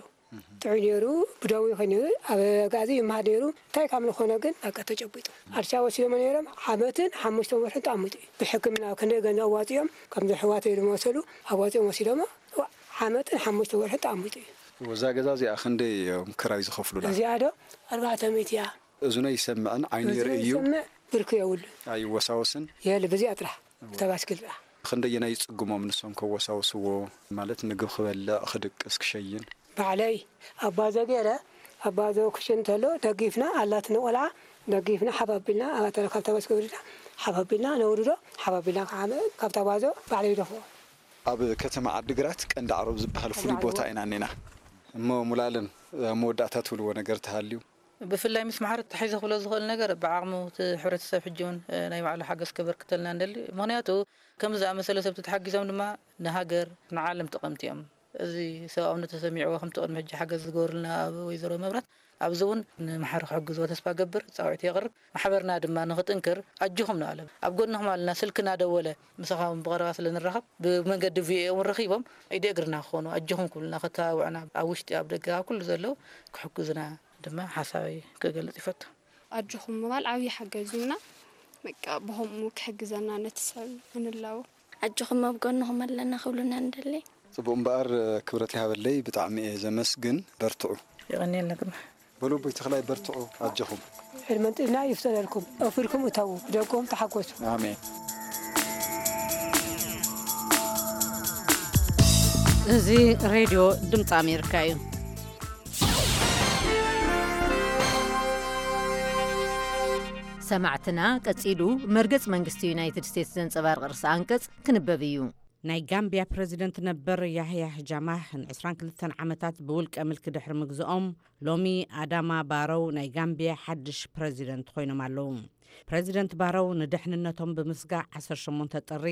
ጥዑይ ነይሩ። ብደዊ ኮይኑ ኣብ ኣጋዚ ይመሃር ነይሩ። እንታይ ካብ ዝኾነ ግን በቃ ተጨቢጡ። ኣዲስ ኣበባ ወሲዶሞ ነይሮም። ዓመትን ሓሙሽተ ወርሕን ተቐሚጡ እዩ። ብሕክምና ክንደይ ገንዘብ ኣዋፂኦም፣ ከምዚ ኣሕዋተይ ዝመሰሉ ኣዋፂኦም ወሲዶሞ። ዓመትን ሓሙሽተ ወርሕን ተቐሚጡ እዩ። እዛ ገዛ እዚኣ ክንደይ እዮም ክራይ ዝኸፍሉላ? እዚኣ ዶ ኣርባዕተ ሚእቲ እያ። እዝኖ ይሰምዕን ዓይኑ እዝኖ ይርኢ እዩ። ይሰምዕ፣ ብርኪ የብሉን። ኣይወሳወስን። የለ፣ በዚኣ ጥራሕ፣ እታ ባስክል ጥራሕ። ክንደየናይ ይጽግሞም ንሶም ከወሳውስዎ? ማለት ምግብ ክበልዕ፣ ክድቅስ፣ ክሸይን? ባዕለይ ኣባዞ ገይረ፣ ኣባዞ ክሽን እንተሎ ደጊፍና፣ ኣላትኒ ቆልዓ ደጊፍና፣ ሓፍ ኣቢልና፣ ኣባተረ ካብታ ባስክል ወሪድና፣ ሓፍ ኣቢልና ነውርዶ፣ ሓፍ ኣቢልና ከዓመ-፣ ካብታ ባዞ ባዕለይ ይደፍኦ። ኣብ ከተማ ዓዲግራት ቀንዲ ዓረብ ዝበሃል ቀንዲ ፍሉይ ዓረብ። ቦታ ኢና እኒና። እሞ ሙሉኣለም፣ ኣብ መወዳእታ ትብልዎ ነገር ተሃልዩ? ብፍላይ ምስ ማሕበር ተታሒዘ ክብሎ ዝኽእል ነገር፣ ብዓቕሙ እቲ ሕብረተሰብ ሕጂ እውን፣ እ፣ ናይ ባዕሉ ሓገዝ ከበርክተልና ንደሊ። ምኽንያቱ፣ ከምዚ ዝኣመሰለ ሰብ ተተሓጊዞም ድማ ንሃገር፣ ንዓለም ጠቐምቲ እዮም። እዚ ሰብኣውነት ተሰሚዕዎ፣ ከምቲ ቅድሚ ሕጂ ሓገዝ ዝገበሩልና ኣብ ወይዘሮ መብራት፣ ኣብዚ እውን ንማሕበር ክሕግዝዎ ተስፋ ገብር፣ ጻውዒት የቕርብ። ማሕበርና ድማ ንኽጥንክር ኣጆኹም ንበሎም። ኣብ ጎንኹም ኣለና፣ ስልኪ እናደወለ ምሳኻውን ብቐረባ ስለ ንራኸብ፣ ብመንገዲ ቪኦኤ እውን ረኺቦም፣ ኢደ እግርና ክኾኑ፣ ኣጆኹም ክብሉና፣ ከተባብዑና፣ ኣብ ውሽጢ፣ ኣብ ደገ፣ ኣብ ኩሉ ዘለዉ ክሕግዙና ድማ ሓሳበይ ክገልጽ ይፈቱ። ኣጆኹም ምባል ዓብዪ ሓገዝ እዩና። በቃ ብኸምኡ ክሕግዘና ነቲ ሰብ ንላቦ። ኣጆኹም ኣብ ጎንኹም ኣለና ክብሉና ንደሊ። ጽቡቕ እምበኣር፣ ክብረት ይሃበለይ፣ ብጣዕሚ እየ ዘመስግን። በርትዑ። የቐንየልና ግርማ። በሉ ኣቦይ ተኽላይ በርትዑ፣ ኣጆኹም። ዕድመን ጥዕና ይፍጠረልኩም። ኣውፊርኩም እተዉ፣ ብደቅኹም ተሓጎሱ። ኣሜን። እዚ ሬድዮ ድምፂ ኣሜሪካ እዩ። ሰማዕትና፣ ቀጺሉ መርገጽ መንግስቲ ዩናይትድ ስቴትስ ዘንጸባርቕ ርእሰ ኣንቀጽ ክንበብ እዩ። ናይ ጋምቢያ ፕረዚደንት ነበር ያህያህ ጃማህ ን ዕስራን ክልተን ዓመታት ብውልቀ ምልኪ ድሕሪ ምግዝኦም፣ ሎሚ ኣዳማ ባረው ናይ ጋምቢያ ሓድሽ ፕረዚደንት ኮይኖም ኣለዉ። ፕረዚደንት ባረው ንደሕንነቶም ብምስጋእ ዓሰርተ ሸሞንተ ጥሪ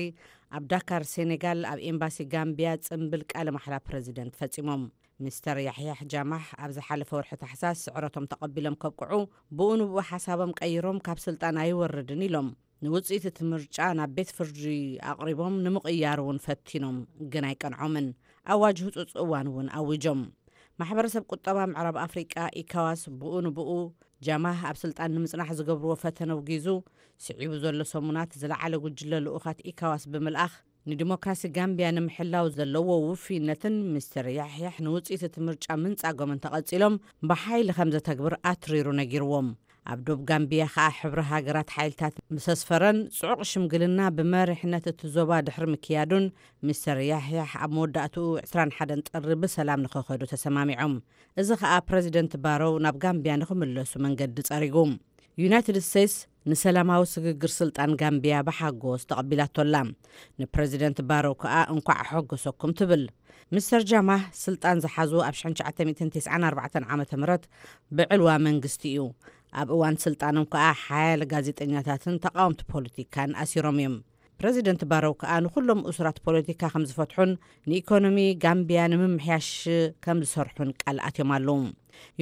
ኣብ ዳካር ሴኔጋል ኣብ ኤምባሲ ጋምቢያ ጽምብል ቃለ ማሕላ ፕረዚደንት ፈጺሞም። ሚስተር ያሕያሕ ጃማህ ኣብ ዝሓለፈ ወርሒ ታሕሳስ ስዕረቶም ተቐቢሎም ከብቅዑ፣ ብኡ ንብኡ ሓሳቦም ቀይሮም ካብ ስልጣን ኣይወርድን ኢሎም። ንውጽኢት እቲ ምርጫ ናብ ቤት ፍርዲ ኣቕሪቦም ንምቕያር እውን ፈቲኖም፣ ግን ኣይቀንዖምን። ኣዋጅ ህጹጽ እዋን እውን ኣዊጆም። ማሕበረሰብ ቁጠባ ምዕራብ ኣፍሪቃ ኢካዋስ ብኡ ንብኡ ጃማህ ኣብ ስልጣን ንምጽናሕ ዝገብርዎ ፈተነ ኣውጊዙ፣ ስዒቡ ዘሎ ሰሙናት ዝለዓለ ጉጅለ ልኡኻት ኢካዋስ ብምልኣኽ፣ ንዲሞክራሲ ጋምቢያ ንምሕላው ዘለዎ ውፍይነትን ሚስተር ያሕያሕ ንውጽኢት እቲ ምርጫ ምንጻጎምን ተቐጺሎም ብሓይሊ ከም ዘተግብር ኣትሪሩ ነጊርዎም። ኣብ ዶብ ጋምቢያ ከኣ ሕብሪ ሃገራት ሓይልታት ምስ ኣስፈረን ጽዑቕ ሽምግልና ብመሪሕነት እቲ ዞባ ድሕሪ ምክያዱን፣ ሚስተር ያሕያሕ ኣብ መወዳእትኡ ዕስራን ሓደን ጥሪ ብሰላም ንኸኸዱ ተሰማሚዖም። እዚ ከኣ ፕረዚደንት ባሮው ናብ ጋምቢያ ንኽምለሱ መንገዲ ጸሪጉ። ዩናይትድ ስቴትስ ንሰላማዊ ስግግር ስልጣን ጋምቢያ ብሓጎስ ተቐቢላቶ ኣላ። ንፕረዚደንት ባሮው ከኣ እንኳዕ ኣሐጎሰኩም ትብል። ሚስተር ጃማህ ስልጣን ዝሓዙ ኣብ ሽሕን ትሽዓተ ሚእትን ተስዓን ኣርባዕተን ዓመተ ምህረት ብዕልዋ መንግስቲ እዩ። ኣብ እዋን ስልጣኖም ከኣ ሓያለ ጋዜጠኛታትን ተቓወምቲ ፖለቲካን ኣሲሮም እዮም። ፕረዚደንት ባሮው ከኣ ንኹሎም እሱራት ፖለቲካ ከም ዝፈትሑን ንኢኮኖሚ ጋምቢያ ንምምሕያሽ ከም ዝሰርሑን ቃል ኣትዮም ኣለዉ።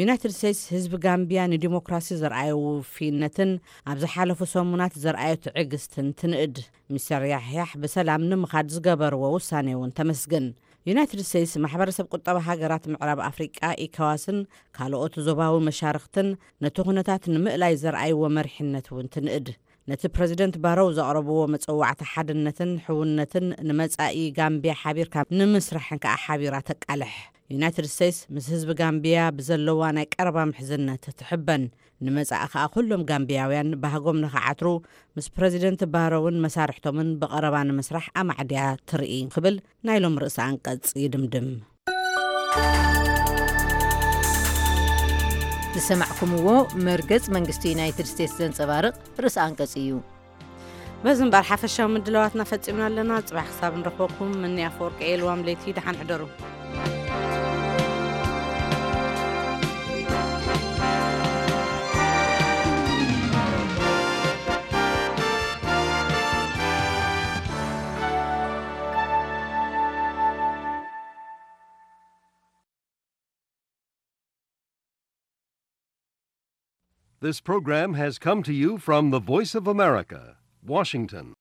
ዩናይትድ ስቴትስ ህዝቢ ጋምቢያ ንዲሞክራሲ ዘርኣዮ ውፍይነትን ኣብ ዝሓለፉ ሰሙናት ዘርኣዮ ትዕግስትን ትንእድ። ሚስተር ያሕያሕ ብሰላም ንምኻድ ዝገበርዎ ውሳኔ እውን ተመስግን። ዩናይትድ ስቴትስ ማሕበረሰብ ቁጠባ ሃገራት ምዕራብ ኣፍሪቃ ኢካዋስን ካልኦት ዞባዊ መሻርኽትን ነቲ ኩነታት ንምእላይ ዘርኣይዎ መሪሕነት እውን ትንእድ። ነቲ ፕረዚደንት ባሮው ዘቕረብዎ መጸዋዕታ ሓድነትን ሕውነትን ንመጻኢ ጋምቢያ ሓቢርካ ንምስራሕን ከኣ ሓቢራ ተቃልሕ። ዩናይትድ ስቴትስ ምስ ህዝቢ ጋምቢያ ብዘለዋ ናይ ቀረባ ምሕዝነት ትሕበን። ንመጻኢ ከኣ ኩሎም ጋምቢያውያን ባህጎም ንኽዓትሩ ምስ ፕረዚደንት ባሮውን መሳርሕቶምን ብቐረባ ንምስራሕ ኣማዕድያ ትርኢ ክብል ናይ ሎም ርእሰ ኣንቀጽ ይድምድም። ዝሰማዕኩምዎ መርገጽ መንግስቲ ዩናይትድ ስቴትስ ዘንጸባርቕ ርእሰ ኣንቀጽ እዩ። በዚ እምበኣር ሓፈሻዊ ምድላዋትና ፈጺምና ኣለና። ጽባሕ ክሳብ ንረኽበኩም፣ ምኒ ኣፈወርቂ እየ። ልዋም ለይቲ፣ ደሓን ሕደሩ። This program has come to you from the Voice of America, Washington.